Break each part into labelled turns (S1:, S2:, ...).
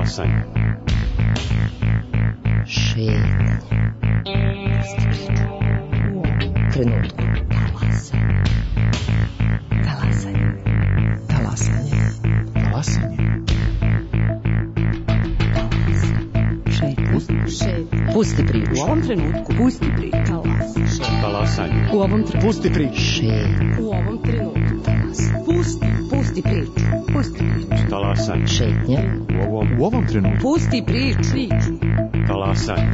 S1: Talasanje.
S2: Šetanje. Trenutku. Talasanje. Talasanje.
S1: Talasanje.
S2: Pusti priču.
S3: U ovom trenutku. Pusti priču.
S1: Talasanje.
S3: U ovom trenutku.
S1: Pusti priču.
S3: U ovom trenutku. Pusti priču. Pusti priču.
S1: Talasanje.
S2: Šetnja.
S1: U ovom trenutku.
S3: Pusti priču.
S1: Talasanje.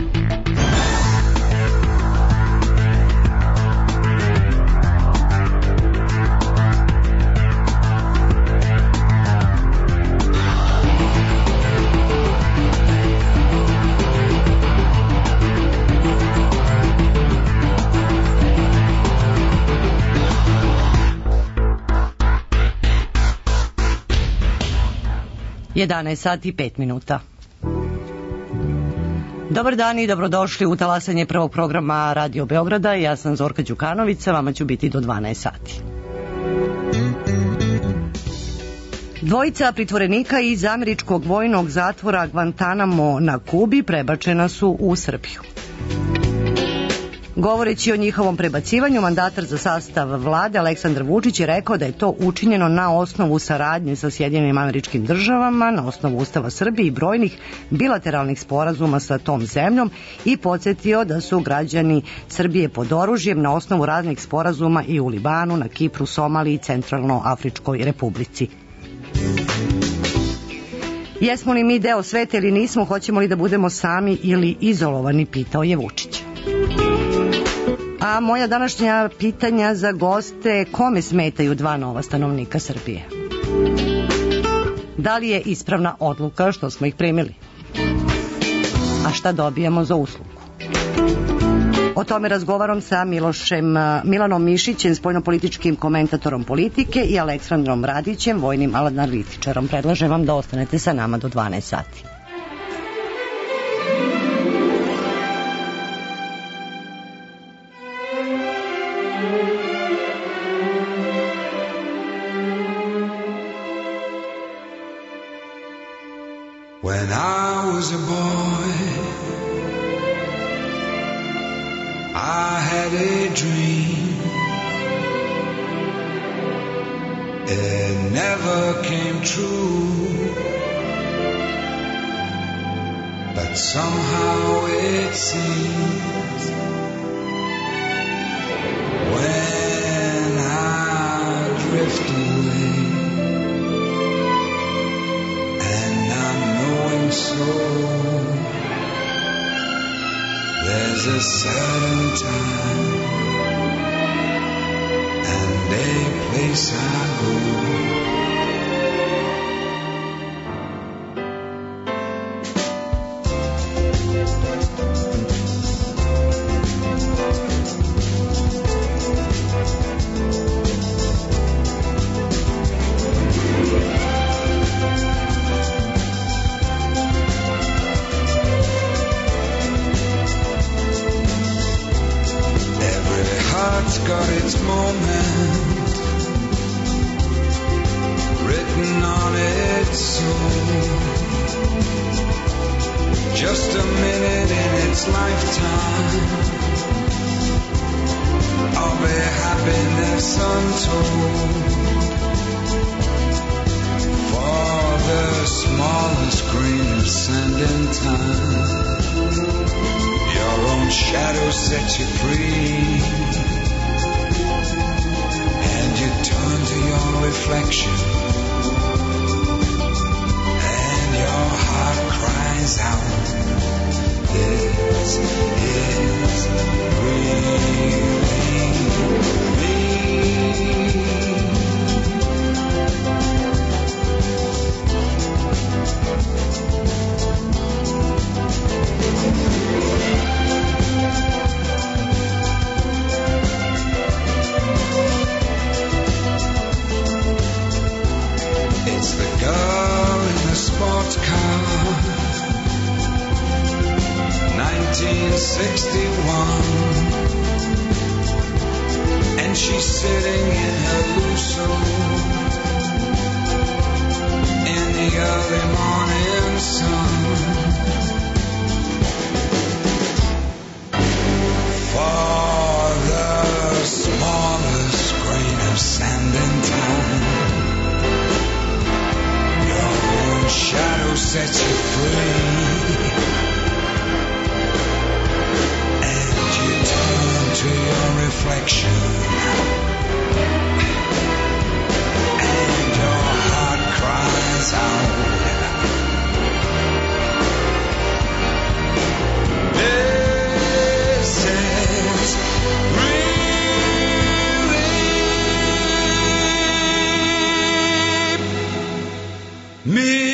S4: Sati i 5 minuta. Dobar dan i dobrodošli u talasanje prvog programa Radio Beograda. Ja sam Zorka Đukanović, vama ću biti do 12 sati. Dvojica pritvorenika iz američkog vojnog zatvora Guantanamo na Kubi prebačena su u Srbiju. Govoreći o njihovom prebacivanju, mandatar za sastav vlade Aleksandar Vučić je rekao da je to učinjeno na osnovu saradnje sa Sjedinjenim Američkim Državama, na osnovu Ustava Srbije i brojnih bilateralnih sporazuma sa tom zemljom i podsjetio da su građani Srbije pod oružjem na osnovu raznih sporazuma i u Libanu, na Kipru, Somaliji i Centralnoafričkoj Republici. Jesmo li mi deo sveta ili nismo, hoćemo li da budemo sami ili izolovani, pitao je Vučić. A moja današnja pitanja za goste: kome smetaju 2 nova stanovnika Srbije? Da li je ispravna odluka što smo ih primili? A šta dobijamo za uslugu? O tome razgovaram sa Milanom Mišićem, spoljnopolitičkim komentatorom Politike, i Aleksandrom Radićem, vojnim analitičarom. Predlažem vam da ostanete sa nama do 12 sati.
S5: When I was a boy, I had a dream. It never came true, but somehow it seems when I drift away, so there's a certain time and a place I go. Got its moment written on its soul. Just a minute in its lifetime of a happiness untold. For the smallest grain of sand in time, your own shadow sets you free. You turn to your reflection and your heart cries out, this is really me. Girl in the sports car, 1961, and she's sitting in her Lusso in the early morning sun. For the smallest grain of sand in town, your own shadow sets you free, and you turn to your reflection, and your heart cries out. This is relief me.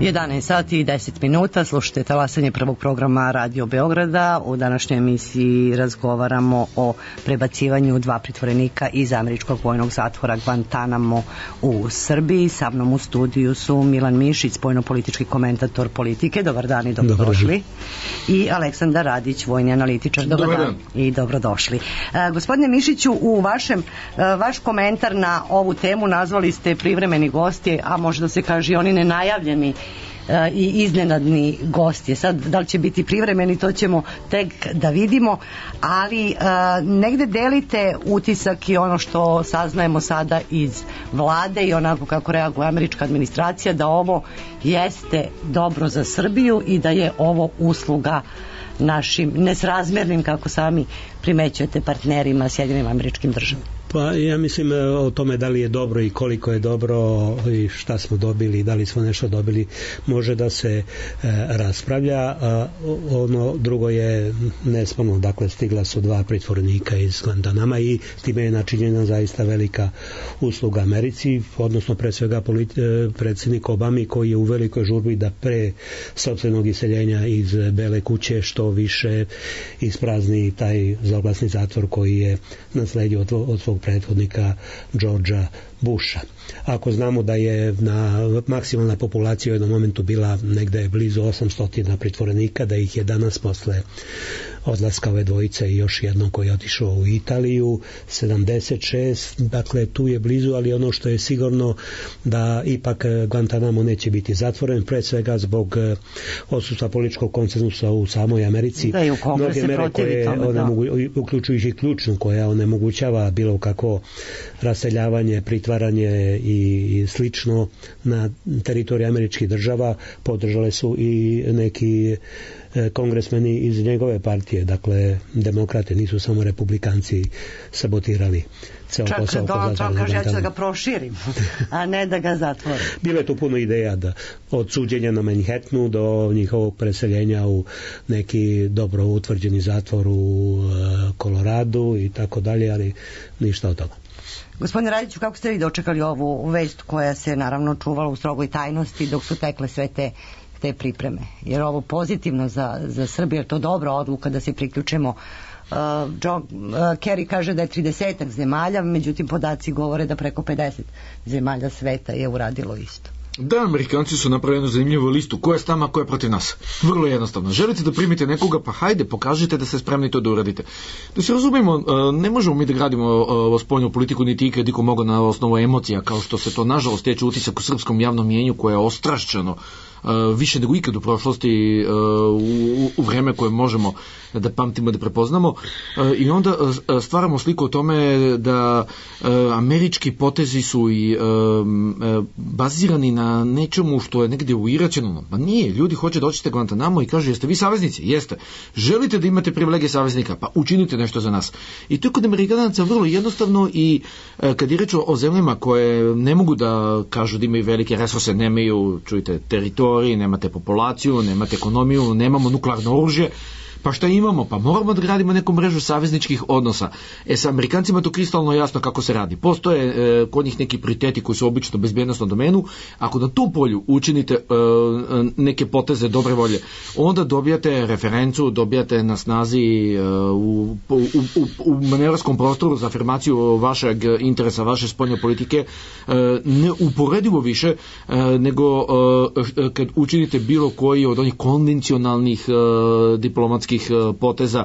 S4: Jedanaest sati i 10 minuta, slušajte talasanje prvog programa Radio Beograda. U današnjoj emisiji razgovaramo o prebacivanju 2 pritvorenika iz američkog vojnog zatvora Guantanamo u Srbiji. Sa mnom u studiju su Milan Mišić, spoljno-politički komentator Politike. Dobar dan i dobrodošli. I Aleksandar Radić, vojni analitičar. Dobar dan i dobrodošli. Gospodine Mišiću, u vaš komentar na ovu temu nazvali ste privremeni gosti, a možda se kaže i oni nenajavljeni i iznenadni gosti. Sad, da li će biti privremeni, to ćemo tek da vidimo, ali negde delite utisak i ono što saznajemo sada iz vlade i onako kako reaguje američka administracija, da ovo jeste dobro za Srbiju i da je ovo usluga našim nesrazmernim, kako sami primećujete, partnerima Sjedinjenim Američkim Državama.
S6: Pa ja mislim o tome da li je dobro i koliko je dobro i šta smo dobili, da li smo nešto dobili, može da se raspravlja. Ono drugo je nesporno, dakle stigla su 2 pritvorenika iz Guantanama i time je načinjena zaista velika usluga Americi, odnosno pre svega predsjednik Obami, koji je u velikoj žurbi da pre sopstvenog iseljenja iz Bele kuće što više isprazni taj zloglasni zatvor koji je nasledio od svog prethodnika Georgea Busha. Ako znamo da je maksimalna populacija u jednom momentu bila negde blizu 800 pritvorenika, da ih je danas posle odlaska ove dvojice i još jednom koji je otišao u Italiju 76, dakle tu je blizu, ali ono što je sigurno da ipak Guantanamo neće biti zatvoren, pre svega zbog odsustva političkog konsenzusa u samoj Americi.
S4: Da, i u Kongresu
S6: mere koje uključujući ključnu, koja onemogućava bilo kako raseljavanje, pritvaranje i slično na teritoriji američkih država, podržale su i neki kongresmeni iz njegove partije, dakle demokrate, nisu samo republikanci sabotirali ceo posao.
S4: Čak Donald Trump kaže ja ću da ga proširim, a ne da ga zatvorim.
S6: Bilo je tu puno ideja od suđenja na Manhattanu do njihovog preseljenja u neki dobro utvrđeni zatvor u Koloradu i tako dalje, ali ništa od toga.
S4: Gospodine Radiću, kako ste vi dočekali ovu vest koja se naravno čuvala u strogoj tajnosti dok su tekle sve te pripreme? Jer ovo pozitivno za Srbiju, je to dobra odluka da se priključimo? John Kerry kaže da je 30 zemalja, međutim podaci govore da preko 50 zemalja sveta je uradilo isto.
S7: Da, Amerikanci su napravili jednu zanimljivu listu. Ko je s nama, ko je protiv nas? Vrlo jednostavno. Želite da primite nekoga, pa hajde, pokažite da ste spremni to da uradite. Da se razumemo, ne možemo mi da gradimo spoljnu politiku, niti ikad iko mogo na osnovu emocija, kao što se to nažalost teče utisak u srpskom javnom mjenju koje je ostrašćeno više nego ikad u prošlosti, u vreme koje možemo da pamtimo, da prepoznamo, i onda stvaramo sliku o tome da američki potezi su i bazirani na nečemu što je negdje uiračeno. Pa nije, ljudi hoće da očite Guantanamo i kažu jeste vi saveznici? Jeste. Želite da imate privilegije saveznika? Pa učinite nešto za nas. I to je kod Amerikanaca vrlo jednostavno, i kad je reč o zemljama koje ne mogu da kažu da imaju velike resurse, nemaju, čujte, teritoriji, nemate populaciju, nemate ekonomiju, nemamo nuklearno oružje, pa šta imamo? Pa moramo da gradimo neku mrežu savezničkih odnosa. Sa Amerikancima to kristalno jasno kako se radi. Postoje kod njih neki prioriteti koji su obično u bezbjednostnom domenu. Ako na tu polju učinite neke poteze dobre volje, onda dobijate referencu, dobijate na snazi u manevrskom prostoru za afirmaciju vašeg interesa, vaše spoljne politike, neuporedivo više nego kad učinite bilo koji od onih konvencionalnih diplomatskih diplomatskih poteza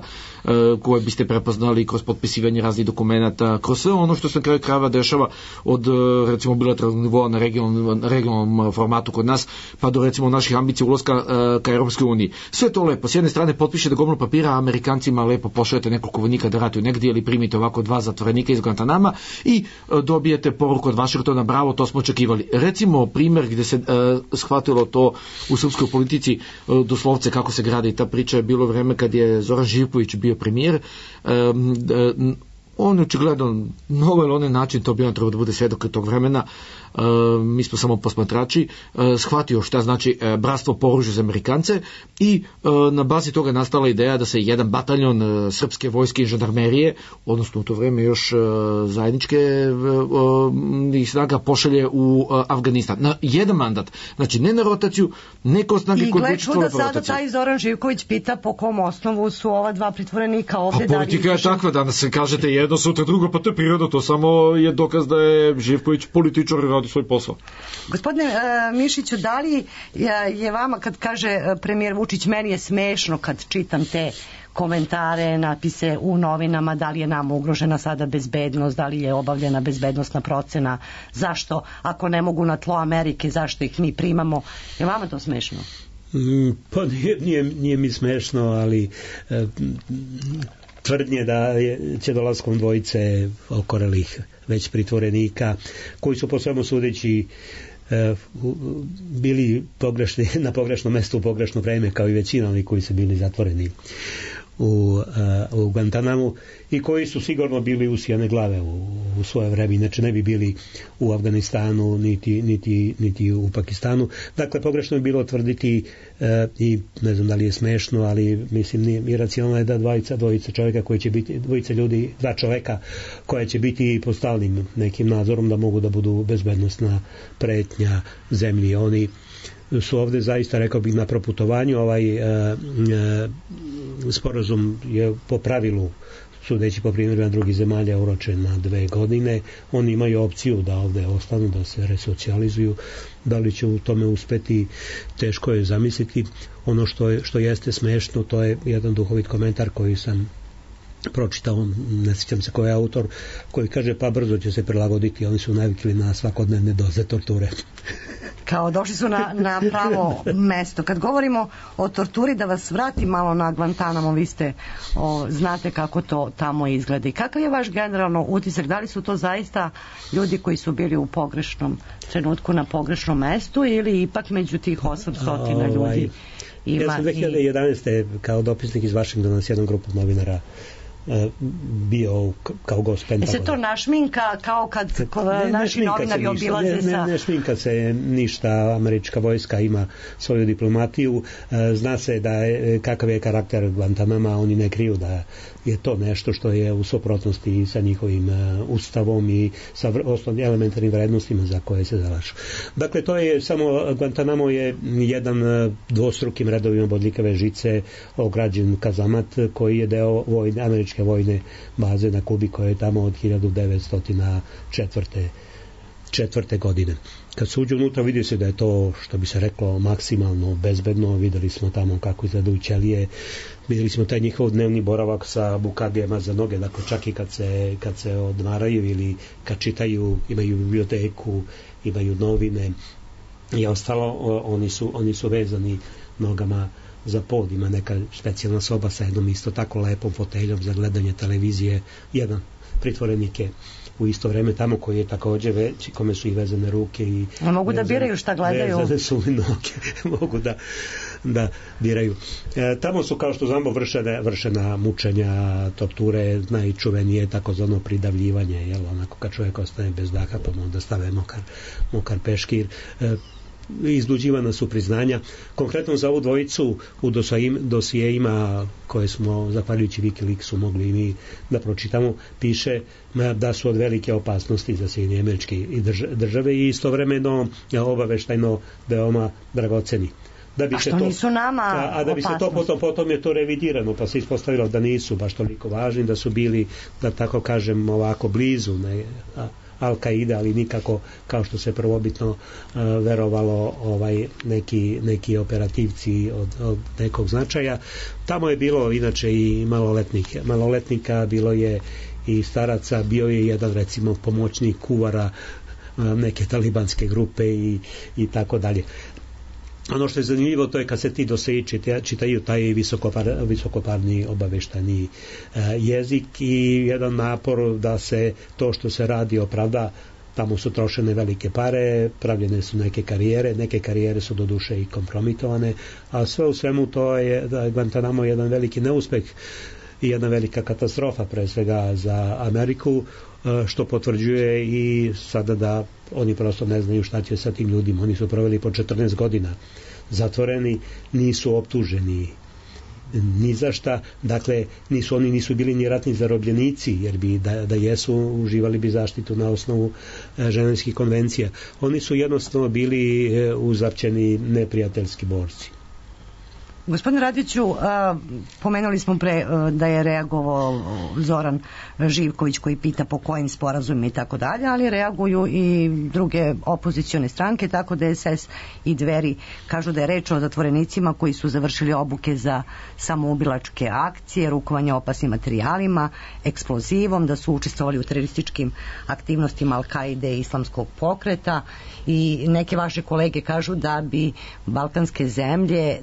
S7: koje biste prepoznali kroz potpisivanje raznih dokumenata, kroz sve ono što se na kraju krajeva dešava od recimo bilateralnog nivoa na regionalnom formatu kod nas, pa do recimo naših ambicija ulaska ka Europskoj uniji. Sve to lepo. S jedne strane potpišete gomilu papira, a Amerikancima lepo pošaljete nekoliko vojnika da ratuju negdje ili primite ovako 2 zatvorenika iz Guantanama i dobijete poruku od Vašingtona, bravo, to smo očekivali. Recimo primjer gdje se shvatilo to u srpskoj politici doslovce kako se gradi ta priča je bilo vreme kad je Zoran Živković bio premijer. On očigledno na ovaj ili onaj način, to bi on trebao da bude svedok tog vremena, mi smo samo posmatrači, shvatio šta znači bratstvo po oružju za Amerikance i na bazi toga nastala ideja da se jedan bataljon srpske vojske i žandarmerije, odnosno u to vreme još zajedničke snaga pošalje u Afganistan. Na jedan mandat, znači ne na rotaciju, ne kao snage koje bi učestvovale po rotaciju.
S4: I gle čuda, sada taj Zoran Živković pita po kom osnovu su ova 2 pritvorenika ovde.
S7: A politika je takva, danas se kažete jedno, sutra drugo, pa to je prirodno, to samo je dokaz da je Živković političar i radi svoj posao.
S4: Gospodine Mišiću, da li je vama, kad kaže premijer Vučić, meni je smešno kad čitam te komentare, napise u novinama, da li je nama ugrožena sada bezbednost, da li je obavljena bezbednostna procena, zašto, ako ne mogu na tlo Amerike, zašto ih mi primamo, je vama to smešno?
S6: Pa nije mi smešno, ali tvrdnje da će dolaskom dvojice okorelih već pritvorenika, koji su po svemu sudeći bili pogrešni, na pogrešnom mestu u pogrešno vreme, kao i većina onih koji su bili zatvoreni u Guantanamu i koji su sigurno bili usijane glave u svoje vreme, inače ne bi bili u Afganistanu niti u Pakistanu. Dakle, pogrešno je bilo tvrditi i ne znam da li je smešno, ali mislim iracionalno je da dvojica čovjeka koji će biti, dvojica ljudi, 2 čovjeka koja će biti pod stalnim nekim nadzorom da mogu da budu bezbednosna pretnja zemlji. Oni su ovde zaista, rekao bih, na proputovanju. Ovaj sporazum je po pravilu, sudeći po primjerima drugih zemalja, uročen na 2 godine. Oni imaju opciju da ovde ostanu, da se resocijalizuju. Da li će u tome uspeti, teško je zamisliti. Ono što jeste smešno, to je jedan duhovit komentar koji sam pročitao, ne sjećam se ko je autor, koji kaže pa brzo će se prilagoditi, oni su navikli na svakodnevne doze torture.
S4: Kao došli su na pravo mesto. Kad govorimo o torturi, da vas vratim malo na Guantanamo, vi ste znate kako to tamo izgleda i kakav je vaš generalno utisak, da li su to zaista ljudi koji su bili u pogrešnom trenutku na pogrešnom mestu ili ipak među tih 800 ljudi ima...
S6: Ja sam 2011. kao dopisnik iz Vašingtona s jednom grupom novinara bio kao gost Pentagona.
S4: Se to našminka kao kad naši novinari obilaze sa...
S6: Ne šminka se ništa, američka vojska ima svoju diplomatiju, zna se da je, kakav je karakter Guantanama, oni ne kriju da je to nešto što je u suprotnosti sa njihovim ustavom i sa osnovnim elementarnim vrednostima za koje se zalažu. Dakle, to je samo, Guantanamo je jedan dvostrukim redovima bodljikave žice ograđen kazamat koji je deo američke vojne baze na Kubi koja je tamo od 1904. godine. Kad se uđe unutra vidi se da je to, što bi se reklo, maksimalno bezbedno. Videli smo tamo kako izgledaju ćelije, videli smo taj njihov dnevni boravak sa bukagijama za noge, dakle čak i kad se odmaraju ili kad čitaju, imaju biblioteku, imaju novine i ostalo, oni su vezani nogama za pod, ima neka specijalna soba sa jednom isto tako lepom foteljom za gledanje televizije. Jedan pritvorenik je u isto vreme tamo koji je također već, kome su i vezane ruke i
S4: mogu da biraju šta gledaju,
S6: vezane su i noge mogu da biraju. Tamo su, kao što znamo, vršena mučenja, torture, najčuvenije takozvano pridavljivanje, jel, onako kad čovjek ostane bez daha pa mu onda stave mokar peškir. Izluđivana su priznanja. Konkretno za ovu dvojicu u dosijeima koje smo zahvaljujući Wikileaksu mogli i mi da pročitamo, piše da su od velike opasnosti za Sjedinjene Američke Države i istovremeno obaveštajno veoma dragoceni.
S4: A što nisu nama
S6: a da bi se to potom je to revidirano, pa se ispostavilo da nisu baš toliko važni, da su bili, da tako kažem, ovako blizu, Al-Kaide, ali nikako kao što se prvobitno verovalo neki operativci od nekog značaja. Tamo je bilo inače i maloletnika, bilo je i staraca, bio je jedan recimo pomoćnik kuvara neke talibanske grupe i tako dalje. Ono što je zanimljivo to je kad se ti doseji čitaju taj visokoparni obaveštajni jezik i jedan napor da se to što se radi opravda. Tamo su trošene velike pare, pravljene su neke karijere su doduše i kompromitovane, a sve u svemu to je da je Guantanamo jedan veliki neuspeh i jedna velika katastrofa pre svega za Ameriku, što potvrđuje i sada da oni prosto ne znaju šta će sa tim ljudima. Oni su proveli po 14 godina zatvoreni, nisu optuženi ni za šta, dakle oni nisu bili ni ratni zarobljenici, jer bi da jesu uživali bi zaštitu na osnovu ženevskih konvencija. Oni su jednostavno bili uzapćeni neprijateljski borci.
S4: Gospodine Radiću, pomenuli smo pre da je reagovao Zoran Živković koji pita po kojim sporazumima i tako dalje, ali reaguju i druge opozicione stranke, tako da DSS i Dveri kažu da je reč o zatvorenicima koji su završili obuke za samoubilačke akcije, rukovanje opasnim materijalima, eksplozivom, da su učestvovali u terorističkim aktivnostima Al-Kaide i islamskog pokreta, i neke vaše kolege kažu da bi balkanske zemlje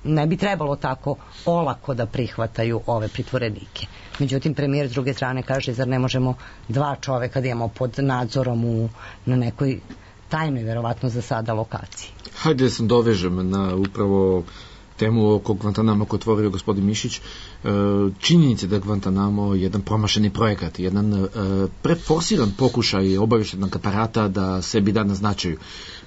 S4: ne bi trebalo tako olako da prihvataju ove pritvorenike. Međutim, premijer s druge strane kaže, zar ne možemo 2 čoveka da imamo pod nadzorom na nekoj tajnoj, verovatno za sada, lokaciji.
S7: Hajde da se dovežem na upravo temu oko Guantanamo koju otvorio gospodin Mišić. Činjenice da Guantanamo je jedan promašeni projekat, jedan preforsiran pokušaj obavještajnog aparata da sebi da na značaju.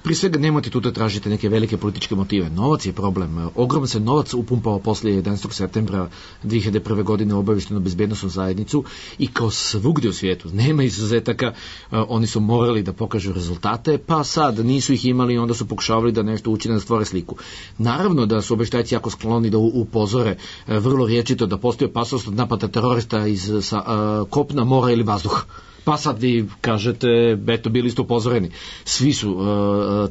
S7: Prije svega nemojte tu da tražite neke velike političke motive. Novac je problem. Ogroman se novac upumpao poslije 11. septembra 2001. godine u obavještenu bezbednosnu zajednicu i kao svugdje u svijetu, nema izuzetaka, oni su morali da pokažu rezultate, pa sad nisu ih imali i onda su pokušavali da nešto učine da stvore sliku. Naravno da su obavještajci jako skloni da upozore vrlo rječito da postoji opasnost od napada terorista iz kopna, mora ili vazduha. Pa sad vi kažete, eto, bili ste upozoreni. Svi su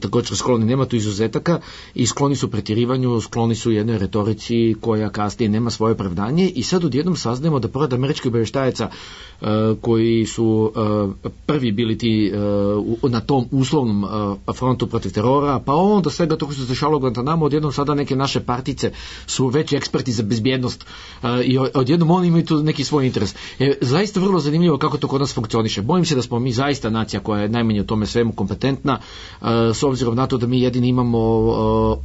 S7: također skloni, nema tu izuzetaka i skloni su pretjerivanju, skloni su jednoj retorici koja kasnije nema svoje opravdanje i sad odjednom saznajemo da pored američkih obavještajaca koji su prvi bili ti na tom uslovnom frontu protiv terora, pa onda svega to koji se dešavalo u Guantanamo, odjednom sada neke naše partice su veći eksperti za bezbjednost i odjednom oni imaju tu neki svoj interes. Zaista vrlo zanimljivo kako to kod nas funkcionira. Bojim se da smo mi zaista nacija koja je najmanje u tome svemu kompetentna, s obzirom na to da mi jedini imamo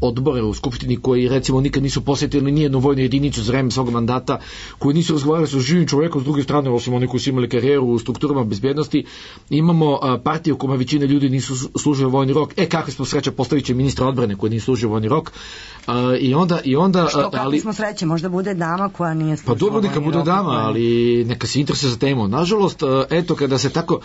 S7: odbore u Skupštini koji recimo nikad nisu posjetili nijednu vojnu jedinicu za vreme svog mandata, koji nisu razgovarali sa živim čovjekom s druge strane, osim oni koji su imali karijeru u strukturama bezbjednosti. Imamo partiju u kojima većina ljudi nisu služili vojni rok. Kakve smo sreće, postavit će ministra odbrane koji nisu služili vojni rok. I onda
S4: što kakve smo sreće, možda bude dama koja nije služila vojni rok.
S7: Pa dobro, neka bude dama, ali neka se interesuje za temu. Nažalost, eto, kada se tako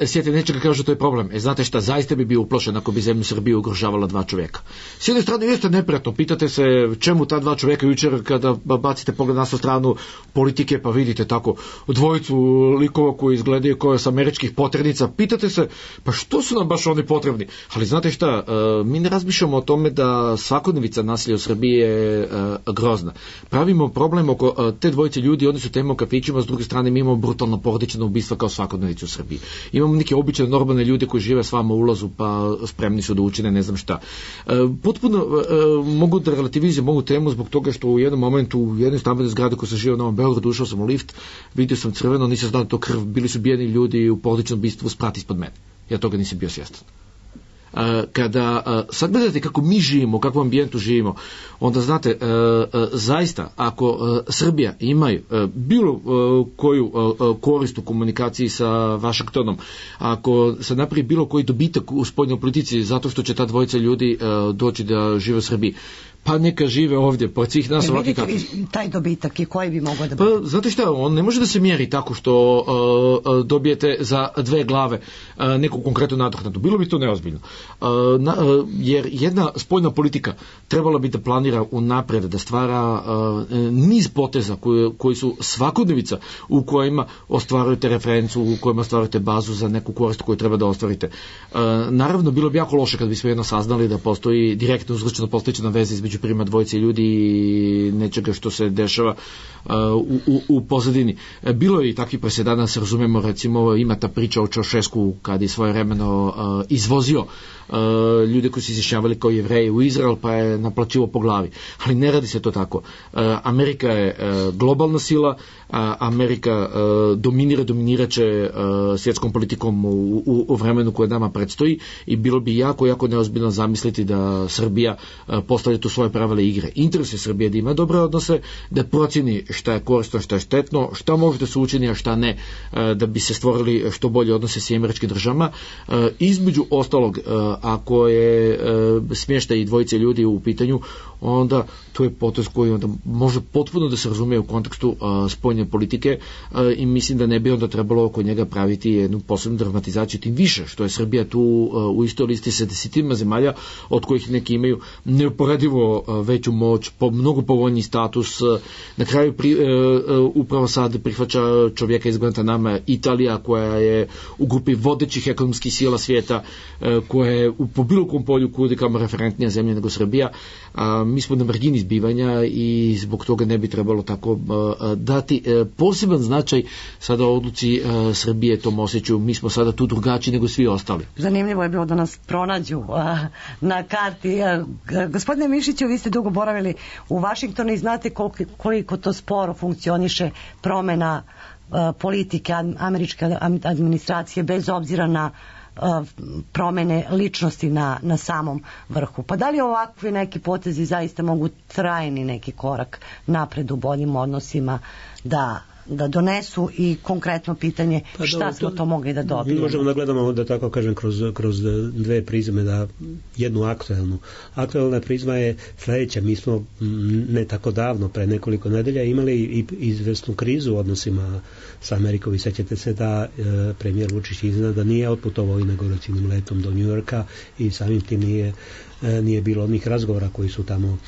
S7: sjeti nečega, kažu to je problem. Znate šta, zaista bi bio uplošen ako bi zemlju Srbiju ugrožavala 2 čovjeka. S jedne strane jeste neprijatno, pitate se čemu ta 2 čovjeka jučer kada bacite pogled na stranu politike pa vidite tako dvojicu likova koji izgledaju kao s američkih poternica, pitate se pa što su nam baš oni potrebni. Ali znate šta, mi ne razmišljamo o tome da svakodnevica nasilja u Srbiji je grozna. Pravimo problem oko te dvojice ljudi, oni su tema u kafićima, s druge strane mi imamo brutalno porodično ubistvo kao svakodnevicu u Srbiji. Imamo neke obične normalne ljude koji žive s vama u ulazu pa spremni su da učine ne znam šta. Potpuno mogu da relativizujem ovu temu zbog toga što u jednom momentu u jednoj stambenoj zgradi koja sam živio na Novom Beogradu, ušao sam u lift, vidio sam crveno, nisam znao to krv, bili su bijeni ljudi u porodičnom ubistvu sprat ispod mene. Ja toga nisam bio svjestan. Kada sad gledate kako mi živimo, u kakvom ambijentu živimo, onda znate, zaista, ako Srbija imaju bilo koju korist u komunikaciji sa Vašingtonom, ako se napravi bilo koji dobitak u spoljnoj politici zato što će ta dvojica ljudi doći da žive u Srbiji, pa neka žive ovdje, pored svih nas ovakvi
S4: Vidite
S7: kakvi.
S4: vi taj dobitak i koji bi mogao da
S7: Pa,
S4: bude?
S7: znate šta, on ne može da se mjeri tako što dobijete za 2 glave neku konkretnu nadoknadu. Bilo bi to neozbiljno. Jer jedna spoljna politika trebala bi da planira unaprijed, da stvara niz poteza koji su svakodnevica u kojima ostvarujete referencu, u kojima ostvarujete bazu za neku korist koju treba da ostvarite. Naravno, bilo bi jako loše kad bismo jedno saznali da postoji direktno uzročno postojeća veza između prima dvojice ljudi i nečega što se dešava u pozadini. Bilo je i takvi presedana, se razumemo, recimo ima ta priča o Čaušesku kad je svojevremeno izvozio ljude koji su izjašnjavali kao Jevreji u Izrael, pa je naplaćivo po glavi. Ali ne radi se to tako. Amerika je globalna sila, Amerika dominirat će svjetskom politikom u vremenu koje nama predstoji i bilo bi jako, jako neozbiljno zamisliti da Srbija postavlja tu svoje pravila igre. Interes je Srbije da ima dobre odnose, da procjeni šta je korisno, šta je štetno, šta može da se učini, a šta ne, da bi se stvorili što bolje odnose s američkim državama. Između ostalog, ako je smještaj i dvojice ljudi u pitanju, onda to je potez koji onda može potpuno da se razume u kontekstu spoljne politike i mislim da ne bi onda trebalo oko njega praviti jednu posebnu dramatizaciju, tim više što je Srbija tu u istoj listi sa 10 zemalja, od kojih neki imaju neuporedivo veću moć, mnogo povoljniji status. Na kraju upravo sad prihvaća čovjeka iz Guantanama Italija, koja je u grupi vodećih ekonomskih sila svijeta, koja je po bilo kom polju kudikamo referentnija zemlja nego Srbija. Mi smo na margini zbivanja i zbog toga ne bi trebalo tako dati poseban značaj sada odluci Srbije, tom osjeću. Mi smo sada tu drugačiji nego svi ostali.
S4: Zanimljivo je bilo da nas pronađu na karti. Gospodine Mišiću, vi ste dugo boravili u Vašingtonu i znate koliko to sporo funkcioniše promjena politike američke administracije bez obzira na promjene ličnosti na samom vrhu. Pa da li ovakvi neki potezi zaista mogu trajni neki korak napred u boljim odnosima da donesu i konkretno pitanje šta smo to mogli da dobijemo?
S6: Možemo da gledamo, da tako kažem, kroz dve prizme, da jednu aktuelnu. Aktuelna prizma je sljedeća. Mi smo ne tako davno, pre nekoliko nedelja, imali i izvesnu krizu u odnosima sa Amerikom i sećate se da premijer Vučić iznenada da nije otputovao inauguracijnim letom do New Yorka i samim tim nije bilo onih razgovora koji su tamo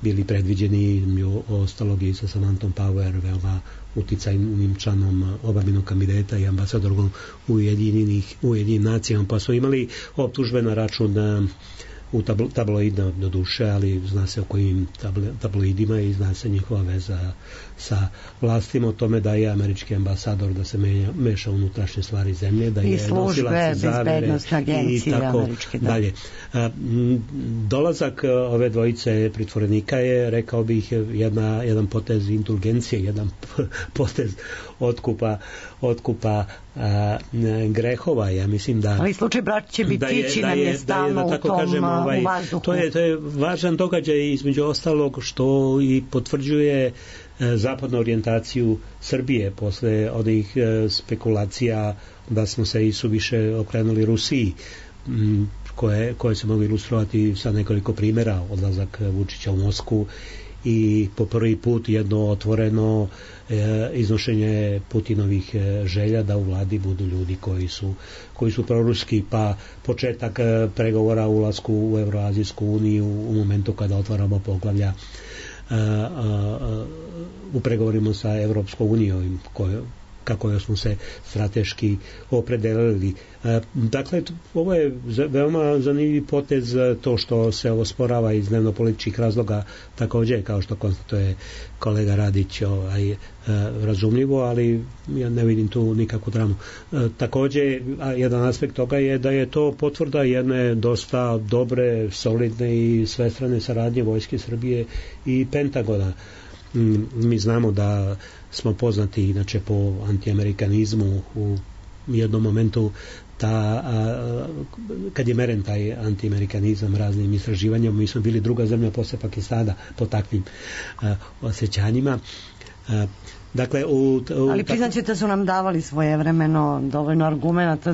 S6: bili predviđeni, ostalog i sa Samanthom Power, veoma uticajnim članom obambenog kabineta i ambasadorom Ujedinjenih nacija, pa smo imali optužbe na račun u tabloidima do duše, ali zna se o kojim tabloidima i zna se njihova veza sa vlastima, o tome da je američki ambasador da se meša unutrašnje stvari zemlje, da je nosilac zavere i tako dalje. Dolazak ove dvojice pritvorenika je, rekao bih, jedan potez indulgencije, jedan potez otkupa grehova. Ja mislim da
S4: ali slučaj braće Bitići nam je stalno u tom u vazduhu.
S6: To je važan događaj, između ostalog, što i potvrđuje zapadnu orijentaciju Srbije posle onih spekulacija da smo se i suviše okrenuli Rusiji, koje se mogu ilustrovati sa nekoliko primjera, odlazak Vučića u Moskvu i po prvi put jedno otvoreno iznošenje Putinovih želja da u vladi budu ljudi koji su proruski, pa početak pregovora o ulasku u Evroazijsku uniju u momentu kada otvaramo poglavlja u pregovorima sa Evropskom unijom kako smo se strateški opredelili. Dakle, ovo je veoma zanimljiv potez, to što se osporava iz dnevno-političkih razloga, također, kao što konstatuje kolega Radić, razumljivo, ali ja ne vidim tu nikakvu dramu. Također, jedan aspekt toga je da je to potvrda jedne dosta dobre, solidne i svestrane saradnje Vojske Srbije i Pentagona. Mi znamo da smo poznati inače po antiamerikanizmu. U jednom momentu kad je meren taj antiamerikanizam raznim istraživanjem, mi smo bili druga zemlja posle Pakistana po takvim osjećanjima. Dakle,
S4: ali priznaćete su nam davali svojevremeno dovoljno argumenata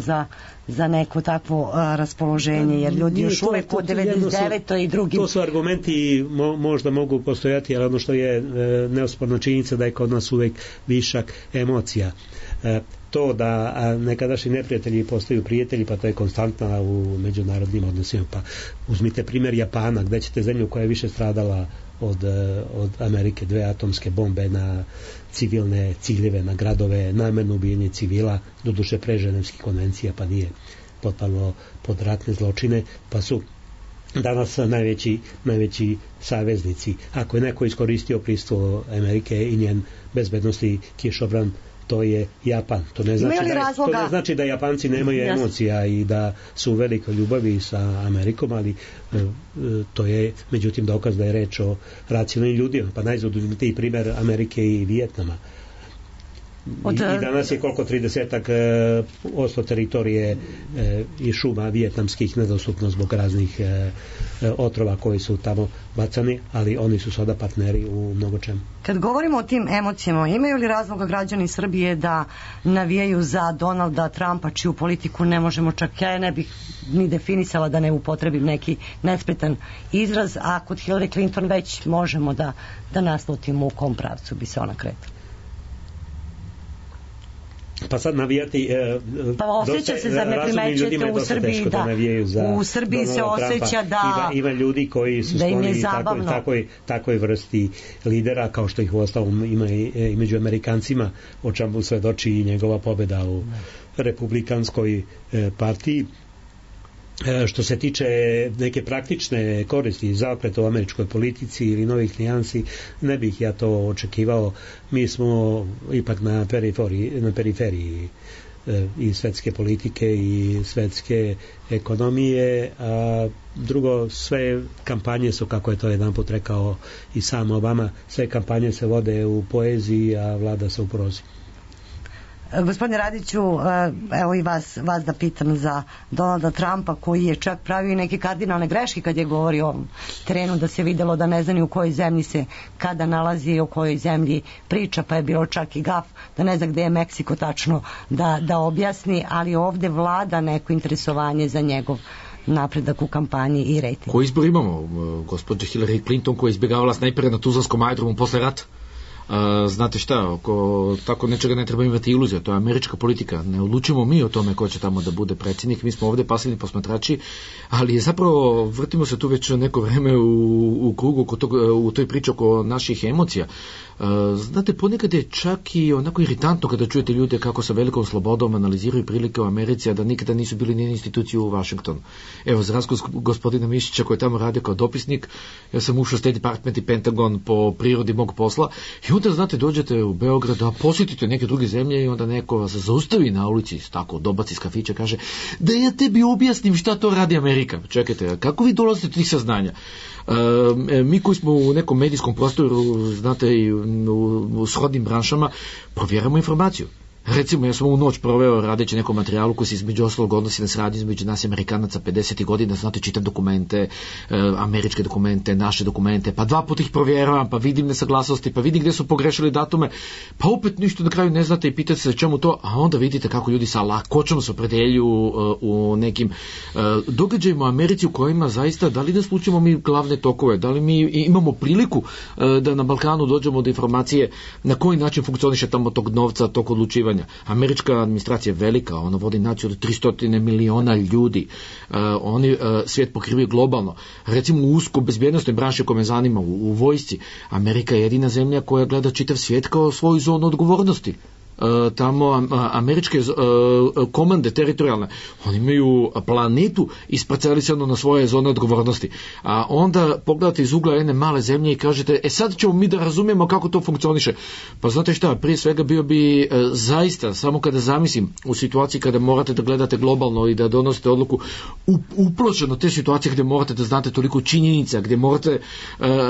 S4: za neko takvo raspoloženje, jer ljudi još uvek od 99. i drugim...
S6: To su argumenti, možda mogu postojati, ali ono što je neosporna činjenica da je kod nas uvek višak emocija. To da nekadašnji neprijatelji postaju prijatelji, pa to je konstantna u međunarodnim odnosima. Pa uzmite primjer Japana, gde ćete zemlju koja je više stradala od Amerike, 2 atomske bombe na civilne ciljeve, na gradove, namerno ubijanje civila, doduše pre Ženevskih konvencija, pa nije potpalo pod ratne zločine, pa su danas najveći saveznici. Ako je neko iskoristio prisustvo Amerike i njen bezbednosti kišobran, to je Japan. To ne znači da Japanci nemaju emocija i da su u velikoj ljubavi sa Amerikom, ali to je međutim dokaz da je reč o racionalnim ljudima. Pa najzad uzmite i primer Amerike i Vijetnama. I danas je koliko 30% teritorije i šuma vijetnamskih nedostupno zbog raznih otrova koji su tamo bacani, ali oni su sada partneri u mnogo čemu.
S4: Kad govorimo o tim emocijama, imaju li razloga građani Srbije da navijaju za Donalda Trumpa, čiju politiku ne možemo čak, ja ne bih ni definisala da ne upotrebim neki nespretan izraz, a kod Hillary Clinton već možemo da naslutimo u kom pravcu bi se ona kretala?
S6: Pa sad navijati
S4: pa osjeća se, zar ne primećujete u Srbiji u Srbiji se osjeća da
S6: ima ljudi koji su skloni takoj vrsti lidera, kao što ih uostalom ima i među Amerikancima, o čemu svedoči i njegova pobeda u republikanskoj partiji. Što se tiče neke praktične koristi i zaokreta u američkoj politici ili novih nijansi, ne bih ja to očekivao. Mi smo ipak na periferiji i svetske politike i svetske ekonomije, a drugo, sve kampanje su, kako je to jedanput rekao i sam Obama, sve kampanje se vode u poeziji, a vlada se u prozi.
S4: Gospodine Radiću, evo i vas da pitam za Donalda Trumpa, koji je čak pravio neke kardinalne greške kad je govorio o ovom terenu, da se videlo da ne zna ni u kojoj zemlji se kada nalazi i o kojoj zemlji priča, pa je bilo čak i gaf da ne zna gde je Meksiko tačno da objasni, ali ovde vlada neko interesovanje za njegov napredak u kampanji i rejting.
S7: Koji izbor imamo? Gospođa Hillary Clinton koja je izbjegavala snajpere na Tuzlanskom aerodromu posle rata. Znate šta, oko tako nečega ne treba imati iluzija, to je američka politika, ne odlučimo mi o tome ko će tamo da bude predsjednik, mi smo ovde pasivni posmatrači, ali zapravo vrtimo se tu već neko vreme u krugu u toj priči oko naših emocija. Znate, ponekad je čak i onako iritantno kada čujete ljude kako sa velikom slobodom analiziraju prilike u Americi, a da nikada nisu bili ni instituciju u Washingtonu. Evo, za razliku gospodina Mišića koji je tamo radio kao dopisnik, ja sam ušao State Department i Pentagon po prirodi mog posla i onda, znate, dođete u Beograd da posjetite neke druge zemlje i onda neko vas zaustavi na ulici, tako dobaci iz kafića, kaže da ja tebi objasnim šta to radi Amerika. Čekajte, kako vi dolazite do tih saznanja? Mi koji smo u nekom medijskom prostoru, znate, i u shodnim branšama, provjeramo informaciju. Recimo, ja sam u noć proveo radeći nekom materijalu koji se između ostalog odnosi na saradnju između nas i Amerikanaca 50. godina, znate, čitam dokumente, američke dokumente, naše dokumente, pa 2 puta ih provjeravam, pa vidim nesaglasnosti, pa vidim gdje su pogrešili datume, pa opet ništa na kraju ne znate i pitate se čemu to, a onda vidite kako ljudi sa lakoćom se opredeljuju u nekim događajima u Americi u kojima zaista, da li da slučimo mi glavne tokove, da li mi imamo priliku da na Balkanu dođemo do informacije na koji način funkcioniše tamo tog novca, tog odlučivanja. Američka administracija je velika, ona vodi naciju od 300 miliona ljudi, oni svijet pokrivaju globalno. Recimo u usko bezbjednostnoj branši koja me zanima, u vojsci, Amerika je jedina zemlja koja gleda čitav svijet kao svoju zonu odgovornosti. Tamo američke komande teritorijalne, oni imaju planetu isparcelisanu na svoje zone odgovornosti, a onda pogledate iz ugla jedne male zemlje i kažete, sad ćemo mi da razumijemo kako to funkcioniše. Pa znate šta, prije svega bio bi zaista, samo kada zamislim u situaciji kada morate da gledate globalno i da donosite odluku uplošeno te situacije gdje morate da znate toliko činjenica, gdje morate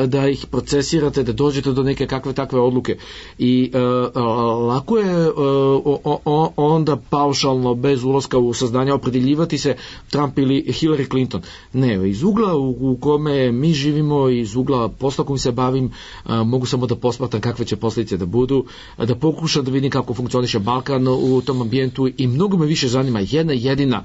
S7: da ih procesirate, da dođete do neke kakve takve odluke i lako je onda paušalno, bez ulaska u saznanja, opredeljivati se Trump ili Hillary Clinton. Ne, iz ugla u kome mi živimo, iz ugla posla kojim se bavim, mogu samo da posmatram kakve će posljedice da budu, da pokušam da vidim kako funkcioniše Balkan u tom ambijentu i mnogo me više zanima jedna jedina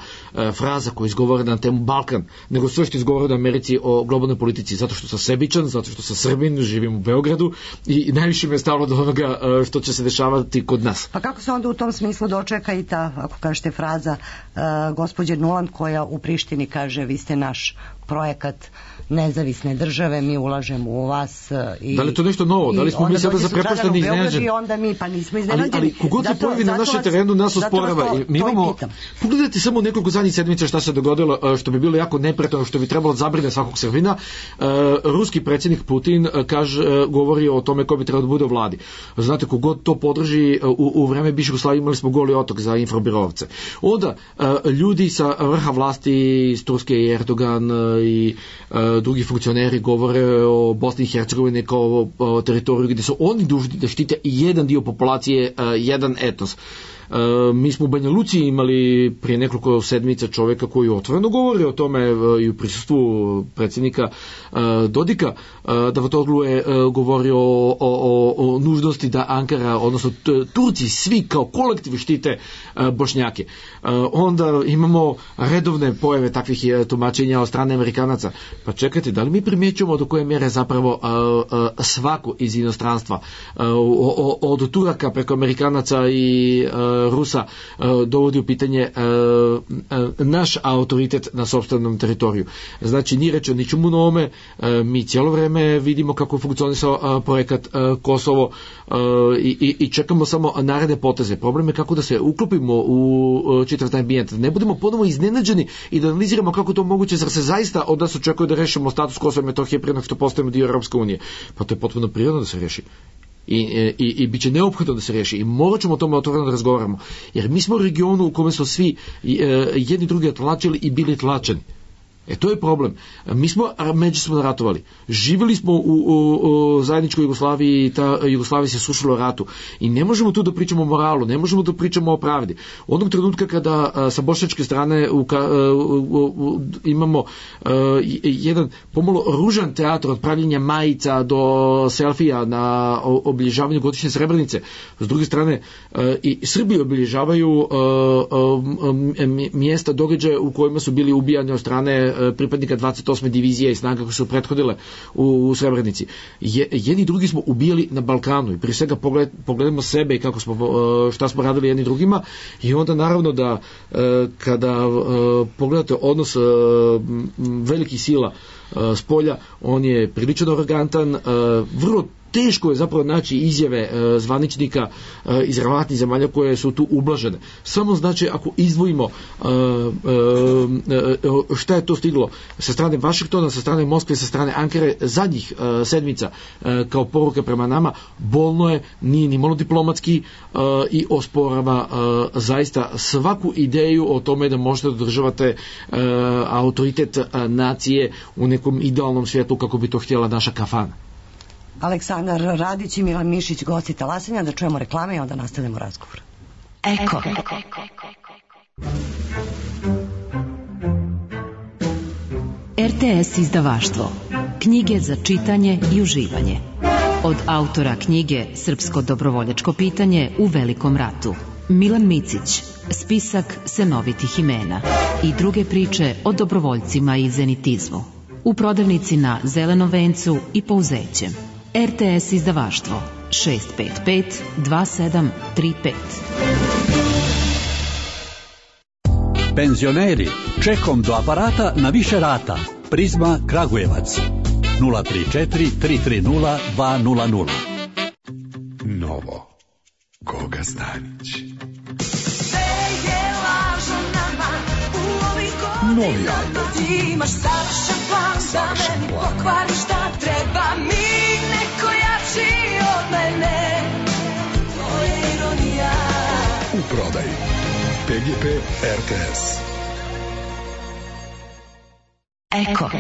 S7: fraza koja izgovara na temu Balkan, nego sve što izgovara u Americi o globalnoj politici, zato što sam sebičan, zato što sam Srbin, živim u Beogradu i najviše me je stalo do onoga što će se dešavati kod nas.
S4: Pa kako se onda u tom smislu dočeka i ta, ako kažete, fraza gospođe Nuland koja u Prištini kaže vi ste naš projekat nezavisne države, mi ulažemo u vas.
S7: Da li je to nešto novo? Da li smo mi sada zaprepašteni i iznenađeni?
S4: I onda mi, pa nismo iznenađeni.
S7: Ali kogod se pojavi na našem terenu, nas osporava. Mi imamo, pogledajte samo nekoliko zadnjih sedmica šta se dogodilo, što bi bilo jako neprijatno, što bi trebalo zabrine svakog Srbina. Ruski predsjednik Putin govori o tome ko bi trebalo da bude u vladi. Znate, kogod to podrži, u vreme bivše Jugoslavije imali smo Goli otok za infrabirovce. Onda ljudi sa vrha vlasti iz Turske i Erdogan i drugi funkcioneri govore o Bosni i Hercegovini kao o teritoriju gdje su oni dužni da štite jedan dio populacije, jedan etnos. Mi smo u Banja Luci imali prije nekoliko sedmica čovjeka koji otvoreno govori o tome i u prisustvu predsjednika Dodika. Davutoglu je govorio o nužnosti da Ankara, odnosno Turci svi kao kolektiv štite Bošnjake. Onda imamo redovne pojave takvih tumačenja od strane Amerikanaca. Pa čekajte, da li mi primjećujemo do koje mjere zapravo svako iz inostranstva od Turaka preko Amerikanaca i Rusa dovodi u pitanje naš autoritet na sopstvenom teritoriju. Znači, nije rečeno ničemu novome, mi cijelo vrijeme vidimo kako funkcionisao projekat Kosovo i čekamo samo naredne poteze. Problem je kako da se uklopimo u čitav taj ambijent, da ne budemo ponovo iznenađeni i da analiziramo kako to moguće, zar se zaista od nas očekuje da rešimo status Kosova i Metohije prije nego što postajemo dio Europske unije. Pa to je potpuno prirodno da se reši. I bit će neophodno da se riješi i morat ćemo o tome otvoreno da razgovaramo, jer mi smo u regionu u kome smo svi jedni drugi tlačili i bili tlačeni. To je problem. Mi smo međusobno ratovali. Živjeli smo u zajedničkoj Jugoslaviji i ta Jugoslavija se sušila u ratu. I ne možemo tu da pričamo o moralu, ne možemo da pričamo o pravdi. Onog trenutka kada sa bošnjačke strane imamo jedan pomalo ružan teatr od pravljenja majica do selfija na obilježavanju godišnje Srebrenice. S druge strane i Srbi obilježavaju mjesta, događaje u kojima su bili ubijani od strane pripadnika 28. divizije i snaga koje su prethodile u Srebrenici. Jedni drugi smo ubijali na Balkanu i prije svega pogledamo sebe i kako smo, šta smo radili jedni drugima i onda naravno da kada pogledate odnos velikih sila s polja, on je prilično arogantan, vrlo teško je zapravo naći izjave zvaničnika iz relevantnih zemalja koje su tu ublažene. Samo znači ako izdvojimo šta je to stiglo sa strane Vašingtona, sa strane Moskve, sa strane Ankare zadnjih sedmica kao poruka prema nama, bolno je, nije ni malo diplomatski i osporava zaista svaku ideju o tome da možete održavate autoritet nacije u nekom idealnom svijetu kako bi to htjela naša kafana.
S4: Aleksandar Radić i Milan Mišić, gosti Talasanja, da čujemo reklame i onda nastavljamo razgovor.
S2: Eko. RTS izdavaštvo. Knjige za čitanje i uživanje. Od autora knjige Srpsko dobrovoljačko pitanje u Velikom ratu. Milan Micić, spisak senovitih imena i druge priče o dobrovoljcima i zenitizmu. U prodavnici na Zelenom vencu i Pouzećem. RTS izdavaštvo 655 2735.
S8: Penzioneri, čekom do aparata na više rata. Prizma Kragujevac 034 330 200.
S5: Novo. Goga Stanić. Novi album.
S9: Imaš savršen plan, pokvari šta treba mi, neko jači od mene. To je ironija.
S5: U prodaji PGP RTS.
S2: Eko.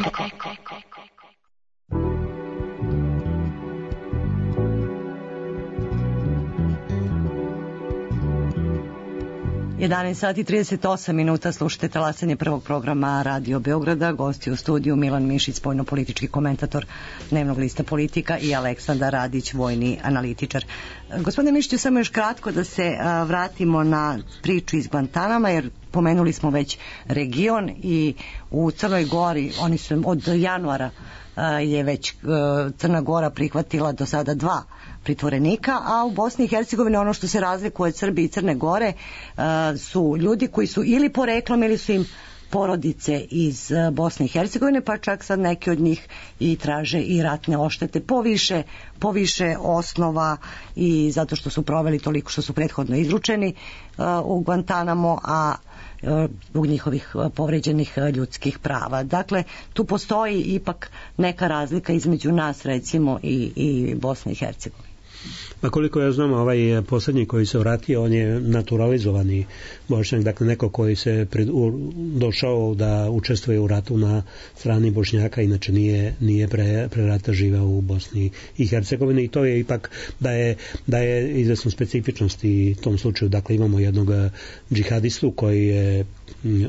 S4: 11 sati 38 minuta, slušate talasanje prvog programa Radio Beograda. Gosti u studiju Milan Mišić, spoljnopolitički komentator Dnevnog lista Politika, i Aleksandar Radić, vojni analitičar. Gospodine Mišiću, samo još kratko da se vratimo na priču iz Guantanama, jer pomenuli smo već region i u Crnoj Gori, oni su od januara je već Crna Gora prihvatila do sada 2 pritvorenika, a u Bosni i Hercegovini ono što se razlikuje od Srbije i Crne Gore su ljudi koji su ili poreklom ili su im porodice iz Bosne i Hercegovine, pa čak sad neki od njih i traže i ratne oštete po više osnova, i zato što su proveli toliko što su prethodno izručeni u Guantanamo, a zbog njihovih povređenih ljudskih prava. Dakle, tu postoji ipak neka razlika između nas, recimo, i Bosne i Hercegovine.
S6: Pa koliko ja znam, ovaj posljednji koji se vratio, on je naturalizovani Bošnjak, dakle neko koji se došao da učestvuje u ratu na strani Bošnjaka, inače nije pre rata živeo u Bosni i Hercegovini, i to je ipak da je izvesnu specifičnost i u tom slučaju. Dakle, imamo jednog džihadistu koji je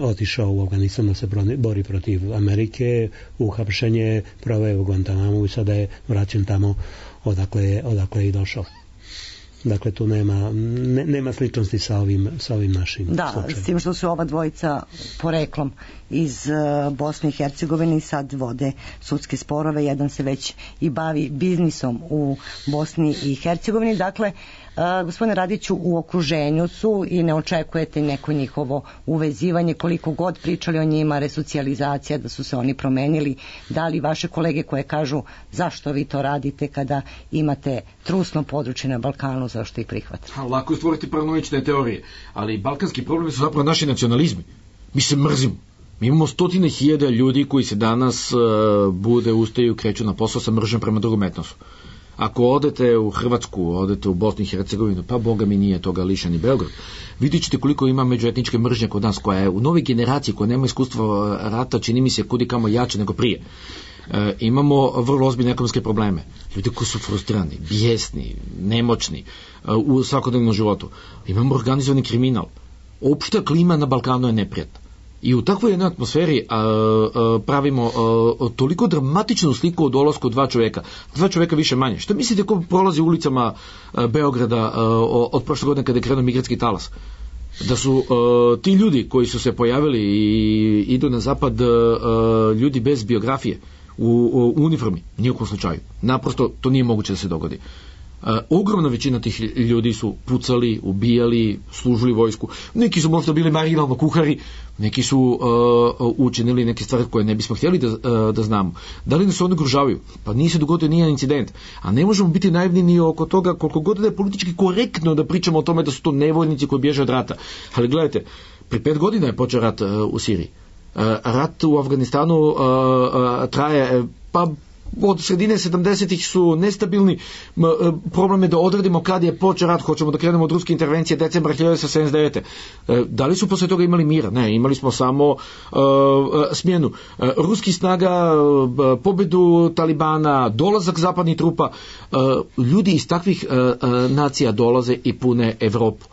S6: otišao u Afganistan da se bori protiv Amerike, uhapšenje, proveo u Guantanamu i sada je vraćen tamo odakle je i došao. Dakle, tu nema sličnosti sa ovim našim slučajem.
S4: S tim što su ova dvojica poreklom iz Bosne i Hercegovine i sad vode sudske sporove. Jedan se već i bavi biznisom u Bosni i Hercegovini. Dakle, gospodine Radiću, u okruženju su i ne očekujete neko njihovo uvezivanje, koliko god pričali o njima, resocijalizacija, da su se oni promenili. Da li vaše kolege koje kažu zašto vi to radite kada imate trusno područje na Balkanu, zašto ih prihvatite?
S7: Lako je stvoriti paranoične teorije, ali balkanski problemi su zapravo naši nacionalizmi. Mi se mrzimo. Mi imamo 100.000 ljudi koji se danas ustaju, kreću na posao sa mržnjom prema drugom etnosu. Ako odete u Hrvatsku, odete u Bosnu i Hercegovinu, pa boga mi nije toga lišan i Beograd, vidjet ćete koliko ima međuetničke mržnje kod nas, koja je u novoj generaciji, koja nema iskustva rata, čini mi se kudi kamo jače nego prije. Imamo vrlo ozbiljne ekonomske probleme. Ljudi koji su frustrirani, bijesni, nemoćni u svakodnevnom životu. Imamo organizovani kriminal. Opšta klima na Balkanu je neprijatna. I u takvoj jednoj atmosferi pravimo toliko dramatičnu sliku od dolasku dva čoveka više manje. Što mislite ko prolazi ulicama Beograda od prošle godine kada je krenuo migratski talas? Da su ti ljudi koji su se pojavili i idu na zapad ljudi bez biografije u uniformi? Nijekom slučaju. Naprosto to nije moguće da se dogodi. Ogromna većina tih ljudi su pucali, ubijali, služili vojsku. Neki su možda bili marginalno kuhari, neki su učinili neke stvari koje ne bismo htjeli da znamo. Da li nas oni ugrožavaju? Pa nije se dogodio nijedan incident. A ne možemo biti naivni ni oko toga, koliko god da je politički korektno da pričamo o tome da su to nevoljnici koji bježe od rata. Ali gledajte, pri 5 godina je počeo rat u Siriji. Rat u Afganistanu traje od sredine 70-ih su nestabilni. Problem je da odredimo kad je počeo rat. Hoćemo da krenemo od ruske intervencije decembra 1979. Da li su posle toga imali mira? Ne, imali smo samo smjenu ruskih snaga, pobedu Talibana, dolazak zapadnih trupa. Ljudi iz takvih nacija dolaze i pune Evropu.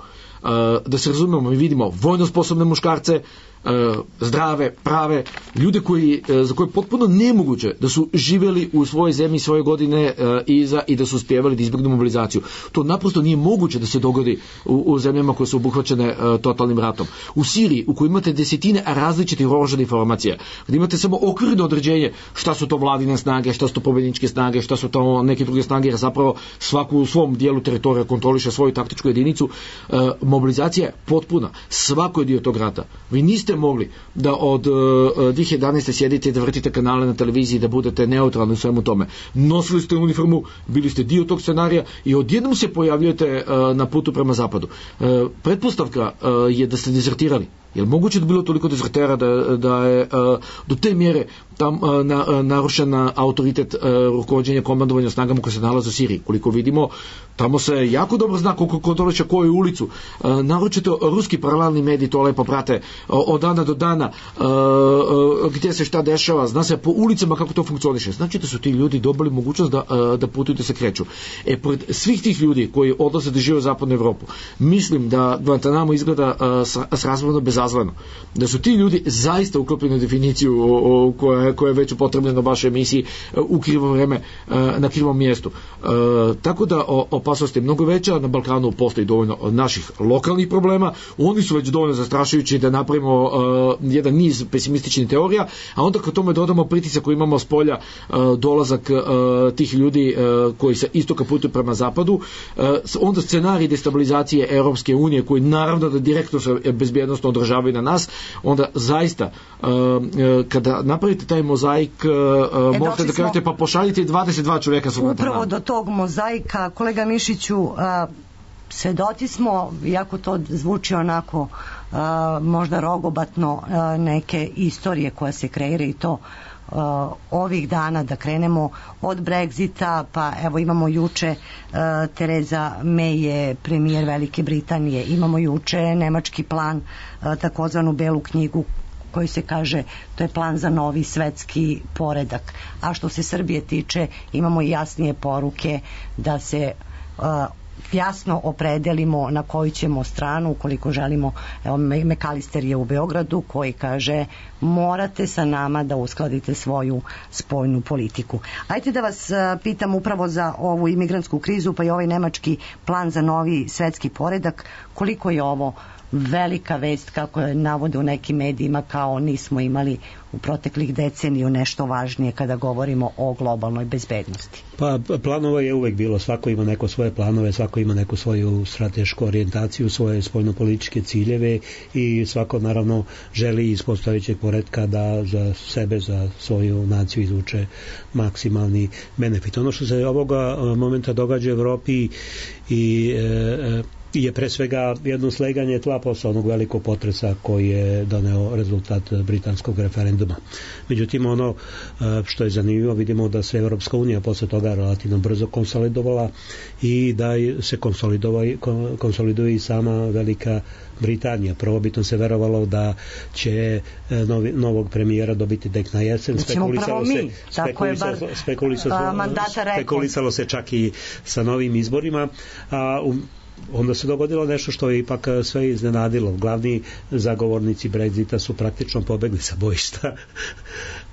S7: Da se razumemo, mi vidimo vojno sposobne muškarce, zdrave, prave, ljude za koje je potpuno nemoguće da su živjeli u svojoj zemlji svoje godine i da su uspjevali da izbjegnu mobilizaciju. To naprosto nije moguće da se dogodi u zemljama koje su obuhvaćene totalnim ratom. U Siriji, u kojoj imate desetine različitih oružanih formacija, gdje imate samo okvirno određenje šta su to vladine snage, šta su to pobjedničke snage, šta su to neke druge snage, jer zapravo svaku u svom dijelu teritorija kontroliše svoju taktičku jedinicu. Mobilizacija je potpuna. Svako je dio tog rata. Vi niste mogli da od 2011. sjedite i da vrtite kanale na televiziji, da budete neutralni u svemu tome. Nosili ste uniformu, bili ste dio tog scenarija i odjednom se pojavljujete na putu prema zapadu. Pretpostavka je da ste dezertirali. Je li moguće da bilo toliko dezertera da je do te mjere tam narušen autoritet rukovođenja komandovanja snagama koje se nalaze u Siriji? Koliko vidimo, tamo se jako dobro zna ko doleće koju ulicu. Naročito ruski paralelni mediji to lepo prate od dana do dana, gdje se šta dešava, zna se po ulicama kako to funkcioniše. Znači da su ti ljudi dobili mogućnost da putuju, da se kreću. Pored svih tih ljudi koji odlaze da žive u zapadnu Evropu, mislim da Guantanamo izgleda srazmerno bezazleno. Da su ti ljudi zaista uklopljeni u definiciju koja je već upotrebljena u vašoj emisiji u krivo vreme, na krivom mjestu. Tako da opasnost je mnogo veća, na Balkanu postoji dovoljno naših lokalnih problema, oni su već dovoljno zastrašujući da napravimo jedan niz pesimističnih teorija, a onda kad tome dodamo pritisak koji imamo s polja, dolazak tih ljudi koji se istoka putuju prema zapadu, onda scenarij destabilizacije Europske unije koji naravno da direktno se bezbjednostno odražavaju na nas, onda zaista kada napravite taj mozaik, možete da kažete pa pošaljite 22 čovjeka su
S4: upravo do tog mozaika. Kolega Mišiću, svedoci smo, iako to zvuči onako možda rogobatno, neke istorije koja se kreira i to ovih dana, da krenemo od Brexita, pa evo imamo juče Tereza May je premijer Velike Britanije, imamo juče nemački plan, takozvanu belu knjigu koji se kaže to je plan za novi svetski poredak. A što se Srbije tiče, imamo jasnije poruke da se jasno opredelimo na koju ćemo stranu ukoliko želimo. Evo, Mekalister je u Beogradu koji kaže morate sa nama da uskladite svoju spoljnu politiku. Ajde da vas pitam upravo za ovu imigrantsku krizu pa i ovaj nemački plan za novi svetski poredak, koliko je ovo velika vest, kako je navode u nekim medijima, kao nismo imali u proteklih deceniju nešto važnije kada govorimo o globalnoj bezbednosti?
S6: Pa planova je uvek bilo, svako ima neko svoje planove, svako ima neku svoju stratešku orijentaciju, svoje spoljnopolitičke ciljeve i svako naravno želi iz postojećeg poretka da za sebe, za svoju naciju izvuče maksimalni benefit. Ono što se ovoga momenta događa u Evropi je pre svega jedno sleganje tla posle onog velikog potresa koji je doneo rezultat britanskog referenduma. Međutim, ono što je zanimljivo, vidimo da se Evropska unija posle toga relativno brzo konsolidovala i da se konsoliduje i sama Velika Britanija. Prvobitno se verovalo da će novog premijera dobiti tek na jesen. Spekulisalo se čak i sa novim izborima, a onda se dogodilo nešto što je ipak sve iznenadilo. Glavni zagovornici Brexita su praktično pobegli sa bojišta.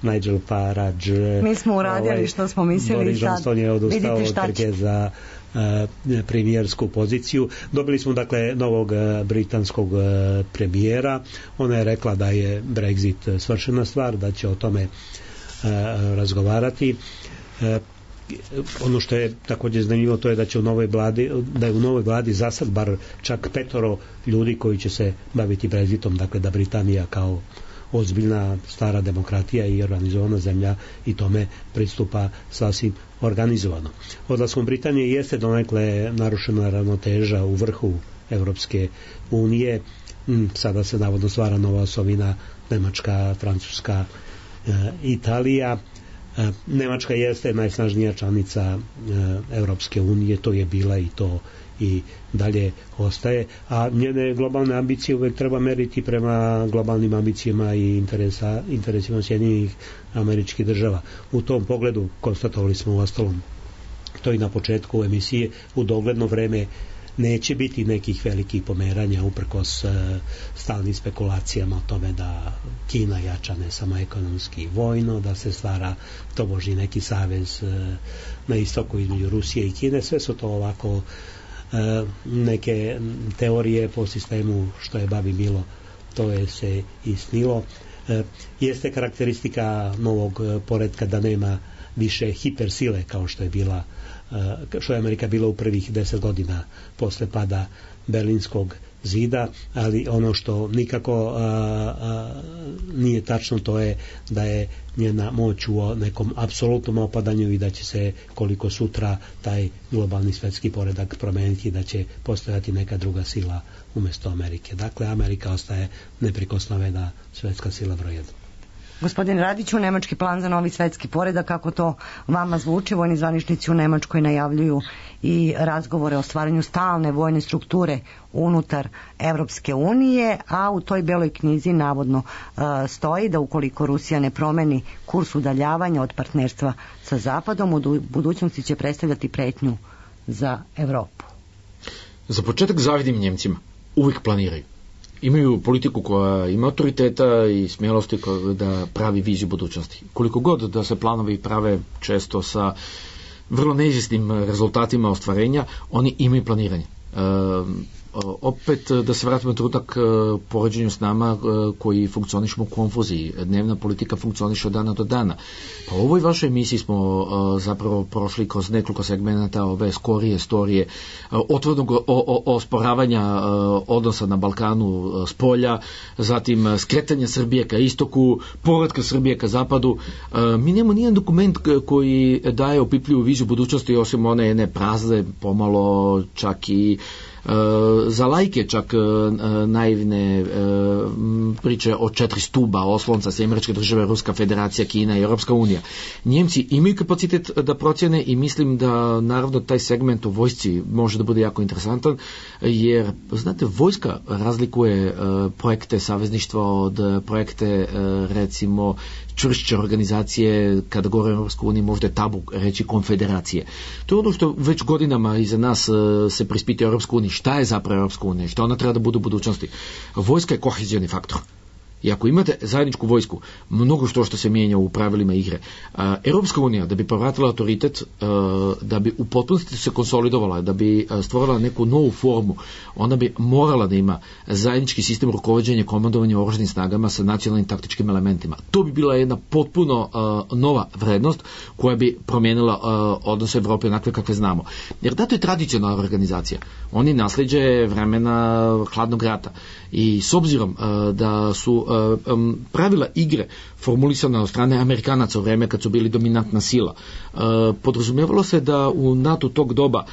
S6: Nigel Farage,
S4: mi smo uradili što smo mislili.
S6: Boris Johnson je odustao od trke za premijersku poziciju. Dobili smo dakle novog britanskog premijera. Ona je rekla da je Brexit svršena stvar, da će o tome razgovarati. Ono što je također zanimljivo, to je da će da je u novoj vladi za sad bar čak 5 ljudi koji će se baviti Brexitom, dakle da Britanija kao ozbiljna stara demokratija i organizovana zemlja i tome pristupa sasvim organizovano. Odlaskom Britanije jeste donekle narušena ravnoteža u vrhu Evropske unije. Sada se navodno stvara nova osovina Nemačka, Francuska, Italija. Nemačka jeste najsnažnija članica Europske unije, to je bila i to i dalje ostaje, a njene globalne ambicije uvek treba meriti prema globalnim ambicijama i interesima Sjedinjenih Američkih Država. U tom pogledu konstatovali smo uostalom to i na početku emisije, u dogledno vreme neće biti nekih velikih pomeranja uprkos stalnim spekulacijama o tome da Kina jača ne samo ekonomski i vojno, da se stvara tobožnji neki savez na istoku između Rusije i Kine. Sve su to ovako neke teorije po sistemu što je babi bilo, to je se i snilo. Jeste karakteristika novog poretka da nema više hipersile kao što je Amerika bila u prvih 10 godina posle pada Berlinskog zida, ali ono što nikako nije tačno, to je da je njena moć u nekom apsolutnom opadanju i da će se koliko sutra taj globalni svetski poredak promeniti, da će postojati neka druga sila umjesto Amerike. Dakle, Amerika ostaje neprikosnovena svetska sila broj 1.
S4: Gospodin Radiću, nemački plan za novi svetski poredak, kako to vama zvuči? Vojni zvaničnici u Nemačkoj najavljuju i razgovore o stvaranju stalne vojne strukture unutar Evropske unije, a u toj beloj knjizi navodno stoji da ukoliko Rusija ne promeni kurs udaljavanja od partnerstva sa Zapadom, u budućnosti će predstavljati pretnju za Evropu.
S7: Za početak zavidim Njemcima. Uvijek planiraju. Imaju politiku koja ima autoriteta i smjelosti da pravi viziju budućnosti. Koliko god da se planovi prave često sa vrlo neizvjesnim rezultatima ostvarenja, oni imaju planiranje. Opet da se vratimo na trenutak poređenju s nama koji funkcionišemo u konfuziji. Dnevna politika funkcioniše od dana do dana. Pa u ovoj vašoj emisiji smo zapravo prošli kroz nekoliko segmenta ove skorije storije otvorenog osporavanja odnosa na Balkanu s polja, zatim skretanja Srbije ka istoku, povratka Srbije ka zapadu. Mi nemamo nijedan dokument koji daje opipljivu viziju budućnosti, osim one jedne prazne, pomalo čak i za lajke čak naivne priče o 4 stuba, oslonca, Američke države, Ruska federacija, Kina i Europska unija. Njemci imaju kapacitet da procjene i mislim da naravno taj segment u vojsci može da bude jako interesantan, jer znate, vojska razlikuje projekte savezništva od projekte recimo čvršće organizacije, kada govore o Europskoj uniji možda je tabu reći konfederacije. To je ono što već godinama iza nas se preispituje Europskoj uniji. Šta je zapravo Europska unija? Šta ona treba da bude u budućnosti? Vojska je kohezioni faktor. I ako imate zajedničku vojsku, mnogo što se mijenja u pravilima igre. Europska unija, da bi povratila autoritet, da bi u potpunosti se konsolidovala, da bi stvorila neku novu formu, ona bi morala da ima zajednički sistem rukovođenja i komandovanja oružanim snagama sa nacionalnim taktičkim elementima. To bi bila jedna potpuno nova vrednost koja bi promijenila odnose Evrope onakve kakve znamo. Jer da to je tradicionalna organizacija. Oni nasljeđe vremena hladnog rata. I s obzirom da su pravila igre formulisana od strane Amerikanaca u vreme kad su bili dominantna sila, podrazumijevalo se da u NATO tog doba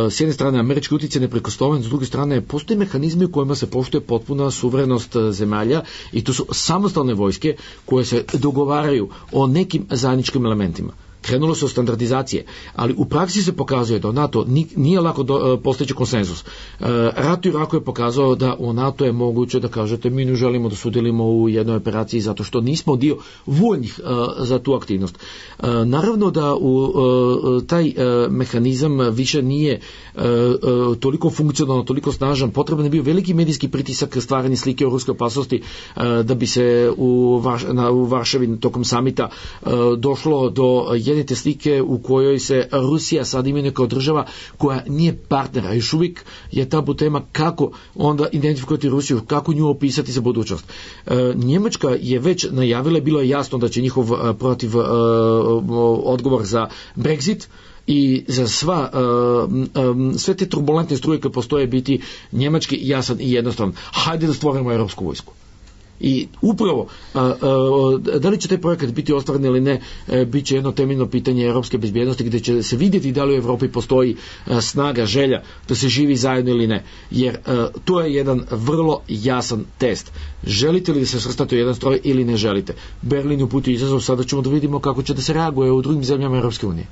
S7: s jedne strane američki utjecaj neprikosnoven, s druge strane postoje mehanizmi u kojima se poštuje potpuna suverenost zemalja i to su samostalne vojske koje se dogovaraju o nekim zajedničkim elementima. Krenulo se od standardizacije, ali u praksi se pokazuje da u NATO nije lako postići konsenzus. Rat u Iraku je pokazao da u NATO je moguće da kažete mi ne želimo da sudjelimo u jednoj operaciji zato što nismo dio voljnih za tu aktivnost. Naravno da taj mehanizam više nije toliko funkcionalno, toliko snažan, potreban je bio veliki medijski pritisak stvaranje slike o ruskoj opasnosti da bi se u Varšavi tokom samita došlo do jedne te slike u kojoj se Rusija sad imenuje kao država koja nije partnera. Još uvijek je tabu tema kako onda identifikovati Rusiju, kako nju opisati za budućnost. Njemačka je već najavila, bilo je jasno da će njihov protiv odgovor za Brexit i za sve te turbulentne struje koje postoje biti njemački jasan i jednostavan. Hajde da stvorimo europsku vojsku. I upravo, da li će taj projekat biti ostvaren ili ne, bit će jedno temeljno pitanje europske bezbjednosti gdje će se vidjeti da li u Europi postoji snaga, želja da se živi zajedno ili ne. Jer to je jedan vrlo jasan test. Želite li da se svrstati u jedan stroj ili ne želite? Berlin uputio izazov, sada ćemo da vidimo kako će da se reaguje u drugim zemljama Europske unije.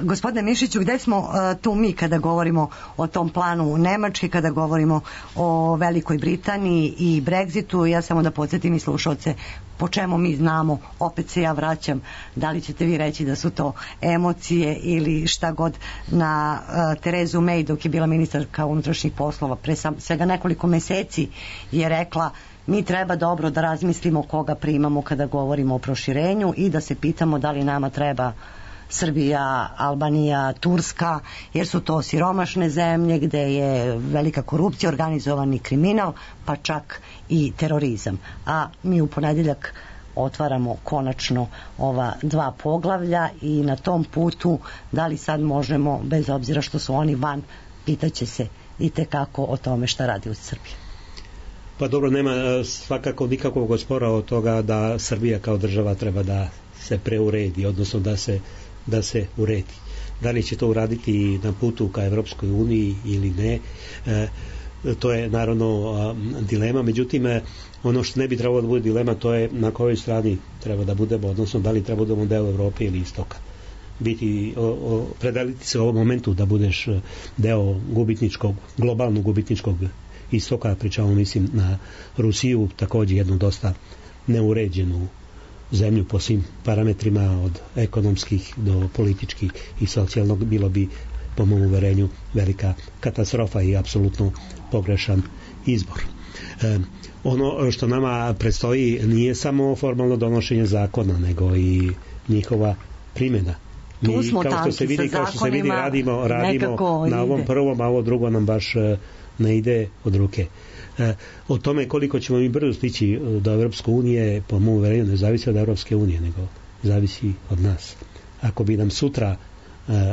S4: Gospodine Mišiću, gde smo tu mi kada govorimo o tom planu u Nemački, kada govorimo o Velikoj Britaniji i Brexitu? Ja samo da podsjetim i slušalce po čemu mi znamo, opet se ja vraćam, da li ćete vi reći da su to emocije ili šta god, na Terezu May dok je bila ministarka unutrašnjih poslova pre svega nekoliko meseci je rekla: mi treba dobro da razmislimo koga primamo kada govorimo o proširenju i da se pitamo da li nama treba Srbija, Albanija, Turska, jer su to siromašne zemlje gde je velika korupcija, organizovani kriminal, pa čak i terorizam. A mi u ponedjeljak otvaramo konačno ova 2 poglavlja i na tom putu da li sad možemo, bez obzira što su oni van, pitaće se i tekako o tome šta radi u Srbiji.
S6: Pa dobro, nema svakako nikakvog spora od toga da Srbija kao država treba da se preuredi, odnosno da se uredi. Da li će to uraditi na putu ka Evropskoj uniji ili ne, to je naravno dilema. Međutim, ono što ne bi trebalo da bude dilema, to je na kojoj strani treba da budemo, odnosno da li treba da budemo deo Evrope ili istoka. Predeliti se u ovom momentu da budeš deo globalnog gubitničkog istoka, pričamo mislim na Rusiju, takođe jednu dosta neuređenu zemlju po svim parametrima, od ekonomskih do političkih i socijalnog, bilo bi po mom uverenju velika katastrofa i apsolutno pogrešan izbor. Ono što nama predstoji nije samo formalno donošenje zakona, nego i njihova primjena. Mi, kao što se vidi, radimo na ovom prvom, a ovo drugo nam baš ne ide od ruke. O tome koliko ćemo mi brzo stići do Evropske unije, po mom uverenju, ne zavisi od Evropske unije, nego zavisi od nas. Ako bi nam sutra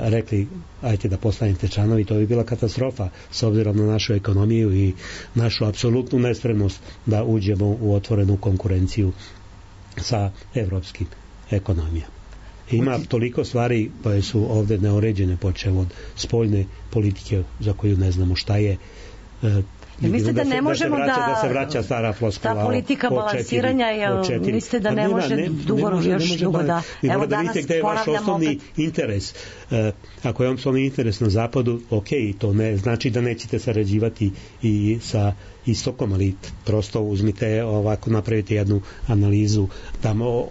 S6: rekli ajte da postanete članovi, to bi bila katastrofa s obzirom na našu ekonomiju i našu apsolutnu nespremnost da uđemo u otvorenu konkurenciju sa evropskim ekonomijama. Ima toliko stvari koje su ovde neuređene, počev od spoljne politike za koju ne znamo šta je.
S4: Mislite da ne možemo
S6: da se vraća stara floskula,
S4: ta politika balansiranja, mislite da ne može dugo da evo danas
S6: vidite gde je vaš osnovni interes. Ako je osnovni interes na zapadu, ok, to ne znači da nećete sarađivati i sa istokom, ali prosto uzmite ovako, napravite jednu analizu tamo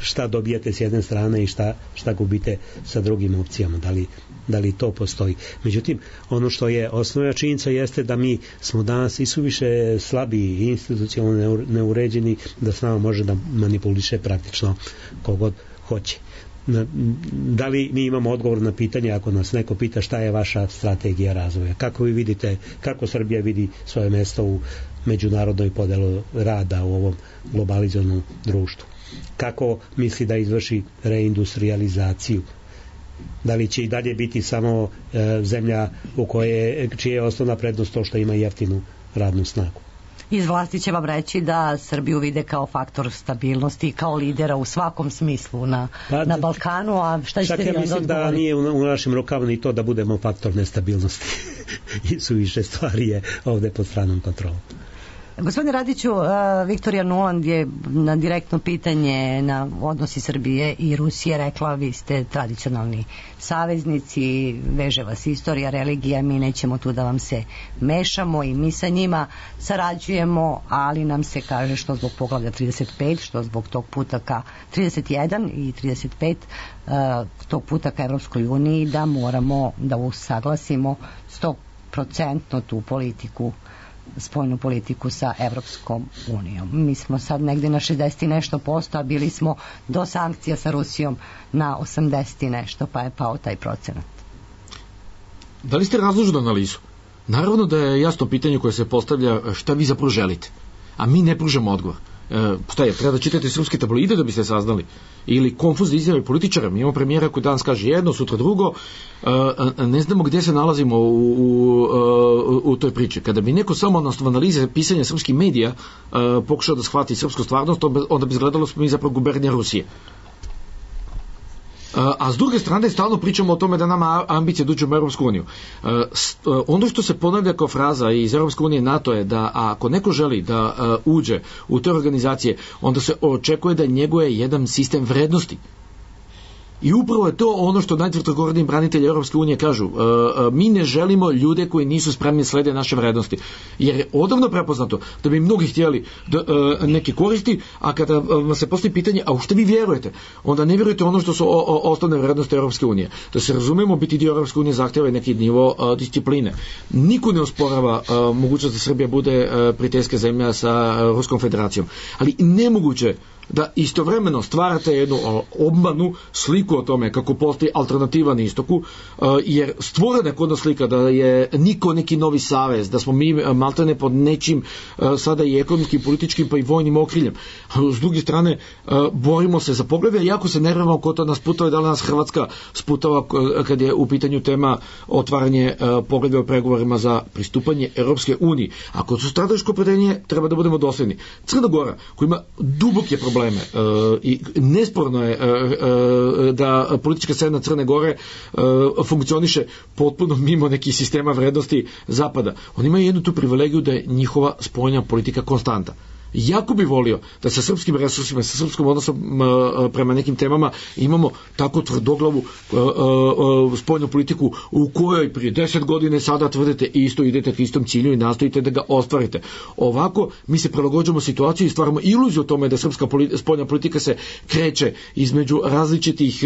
S6: šta dobijate s jedne strane i šta gubite sa drugim opcijama, da li to postoji. Međutim, ono što je osnovna činjenica jeste da mi smo danas i suviše slabi i institucionalno neuređeni da s nama može da manipuliše praktično kogod hoće. Da li mi imamo odgovor na pitanje ako nas neko pita šta je vaša strategija razvoja? Kako vi vidite, kako Srbija vidi svoje mesto u međunarodnoj podelu rada u ovom globalizovanom društvu? Kako misli da izvrši reindustrializaciju? Da li će i dalje biti samo zemlja čija je osnovna prednost to što ima jeftinu radnu snagu?
S4: Iz vlasti će vam reći da Srbiju vide kao faktor stabilnosti, kao lidera u svakom smislu na Balkanu, a šta ćete vi onda odgovoriti? Mislim da nije u našim rukama ni to da budemo faktor nestabilnosti i suviše stvari je ovde pod stranom kontrolom. Gospodine Radiću, Viktorija Nuland je na direktno pitanje na odnosi Srbije i Rusije rekla, vi ste tradicionalni saveznici, veže vas istorija, religija, mi nećemo tu da vam se mešamo i mi sa njima sarađujemo, ali nam se kaže što zbog poglavlja 35, što zbog tog puta ka 31 i 35 tog puta ka Evropskoj uniji da moramo da usaglasimo 100% tu politiku, spoljnu politiku sa Evropskom unijom. Mi smo sad negde na 60 i nešto posto, a bili smo do sankcija sa Rusijom na 80 i nešto, pa je pao taj procenat.
S7: Da li ste razložili analizu? Naravno da je jasno pitanje koje se postavlja šta vi zapravo želite, a mi ne pružamo odgovor. Šta je, treba da čitate srpske tabloide da biste saznali, ili konfuzne izjave političara. Mi imamo premijera koji danas kaže jedno, sutra drugo, ne znamo gdje se nalazimo u toj priči. Kada bi neko samo na osnovu analize pisanja srpskih medija pokušao da shvati srpsku stvarnost, onda bi izgledalo smo mi zapravo gubernija Rusije. A s druge strane stalno pričamo o tome da nama ambicije da uđemo u Europsku uniju. Ono što se ponavlja kao fraza iz Europske unije NATO je da ako neko želi da uđe u te organizacije, onda se očekuje da njeguje jedan sistem vrednosti. I upravo je to ono što najtvrdogovorniji branitelji Europske unije kažu. Mi ne želimo ljude koji nisu spremni slede naše vrednosti. Jer je odavno prepoznato da bi mnogi htjeli da neki koristi, a kada se postoji pitanje, a u što vi vjerujete? Onda ne vjerujete ono što su osnovne vrednosti Europske unije. Da se razumemo, biti dio Europske unije zahtjeva neki nivo discipline. Niko ne osporava mogućnost da Srbija bude prijateljska zemlja sa Ruskom federacijom. Ali nemoguće da istovremeno stvarate jednu obmanu sliku o tome kako postoji alternativa na istoku, jer stvorena je kod nas slika da je niko neki novi savez, da smo mi maltene pod nečim sada i ekonomskim, političkim pa i vojnim okriljem. S druge strane, borimo se za poglede, jako se nervamo ko to nas putava, da li nas Hrvatska sputava kad je u pitanju tema otvaranje pogleda o pregovorima za pristupanje Europske unije. Ako su strateško opredeljenje, treba da budemo dosledni. Crna Gora, koja ima duboke probleme i nesporno je da politička scena Crne Gore funkcioniše potpuno mimo nekih sistema vrednosti Zapada. Oni imaju jednu tu privilegiju da je njihova spoljna politika konstanta. Jako bi volio da sa srpskim resursima, sa srpskom odnosom prema nekim temama imamo tako tvrdoglavu spoljnu politiku u kojoj prije 10 godina sada tvrdite isto, idete k istom cilju i nastojite da ga ostvarite. Ovako mi se prilagođujemo situaciji i stvaramo iluziju o tome da srpska spoljna politika se kreće između različitih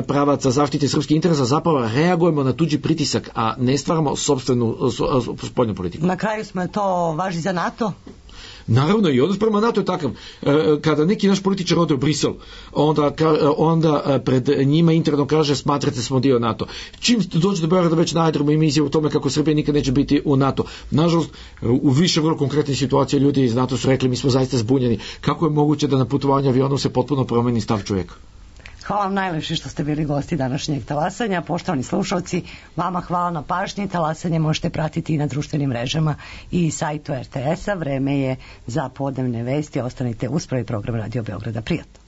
S7: pravaca zaštite srpskih interesa, zapravo reagujemo na tuđi pritisak, a ne stvaramo sopstvenu spoljnu politiku.
S4: Na kraju smo to važi za NATO?
S7: Naravno, i odnos prema NATO je takav. Kada neki naš političar ode u Brisel, onda pred njima interno kaže smatrate smo dio NATO. Čim dođe do Beograda već na aerodromu ima izjavu o tome kako Srbija nikad neće biti u NATO. Nažalost, u više vrlo konkretnih situacija ljudi iz NATO su rekli mi smo zaista zbunjeni. Kako je moguće da na putovanju avionom se potpuno promeni stav čovjeka?
S4: Hvala vam najlepše što ste bili gosti današnjeg talasanja. Poštovani slušalci, vama hvala na pažnji. Talasanje možete pratiti i na društvenim mrežama i sajtu RTS-a. Vreme je za podnevne vesti. Ostanite uz prvi program Radio Beograda. Prijatno.